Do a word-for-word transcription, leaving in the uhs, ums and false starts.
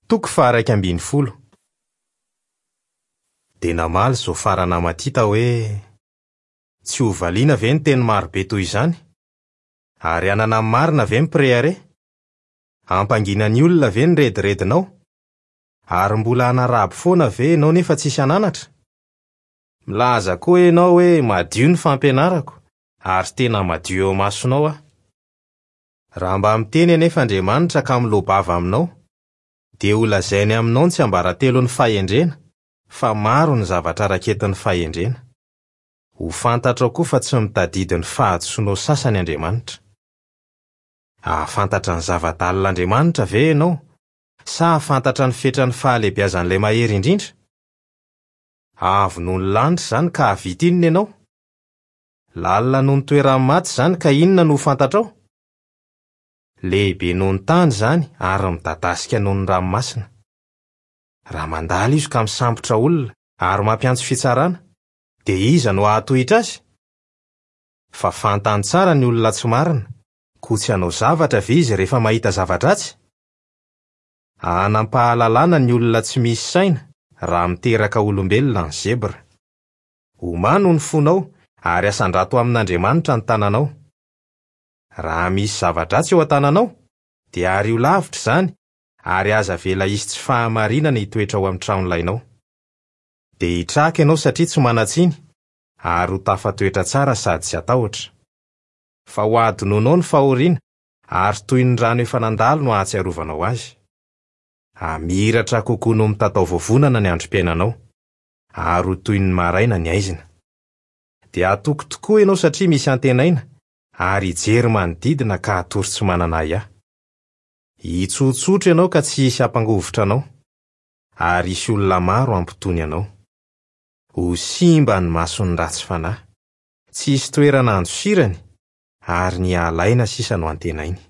Toko faha-iraika ambin'ny folo. Dia namaly Zofara Namatita hoe: "Tsy ho valiana ve ny teny marobe toy izany? Ary hanana ny marina ve ny mpirehareha? Hampangina ny olona ve ny rediredinao? Ary mbola hanaraby foana ve ianao nefa tsisy hananatra? Milaza koa ianao hoe madio ny fampianarako, ary tena madio eo imasonao aho. Raha mba miteny anefa Andriamanitra ka miloa-bava aminao, dia holazainy aminao ny tsiambaratelon'ny fahendrena, fa maro ny zavatra raketin'ny fahendrena. Ho fantatrao koa fa tsy mitadidy ny fahadisoanao sasany Andriamanitra. Hahafantatra ny zava-dalin'Andriamanitra ve ianao, sa hahafantatra ny fetran'ny fahalehibiazan'ilay mahery indrindra? Avo noho ny lanitra izany ka hahavita inona ianao? Lalina noho ny toeran'ny maty izany ka inona no ho fantatrao? Lehibe noho ny tany izany ary midadasika noho ny ranomasina. Raha mandalo izy ka misambotra olona ary mampiantso fitsarana, dia iza no hahatohitra azy? Fa fantany tsara ny olona tsy marina, koa tsy hanao zavatra ve izy rehefa mahita zava-dratsy? Hanam-pahalalana ny olona tsy misy saina raha miteraka olombelona ny zebra. Omano ny fonao ary asandrato amin'Andriamanitra ny tananao. Raha misy zava-dratsy eo an-tananao, dia ario lavitra izany ary aza avela hisy tsy fahamarinana hitoetra ao amin'ny tranolainao. Dia hitraka ianao satria tsy manan-tsiny ary ho tafatoetra tsara sady tsy hatahotra. Fa ho adinonao ny fahoriana ary toy ny rano efa nandalo no hahatsiarovanao azy. Hamiratra kokoa noho mitatao vovonana ny androm-piainanao, ary ho toy ny maraina ny haizina. Dia hatoky tokoa ianao satria misy antenaina, ary hijery manodidina ka hatory tsy manana ahiahy. Hitsotsotra ianao ka tsy hisy hampangovitra anao, ary hisy olona maro hampitony anao. Ho simba ny mason'ny ratsy fanahy, tsy hisy toerana handosirany, ary ny halaina sisa no antenainy.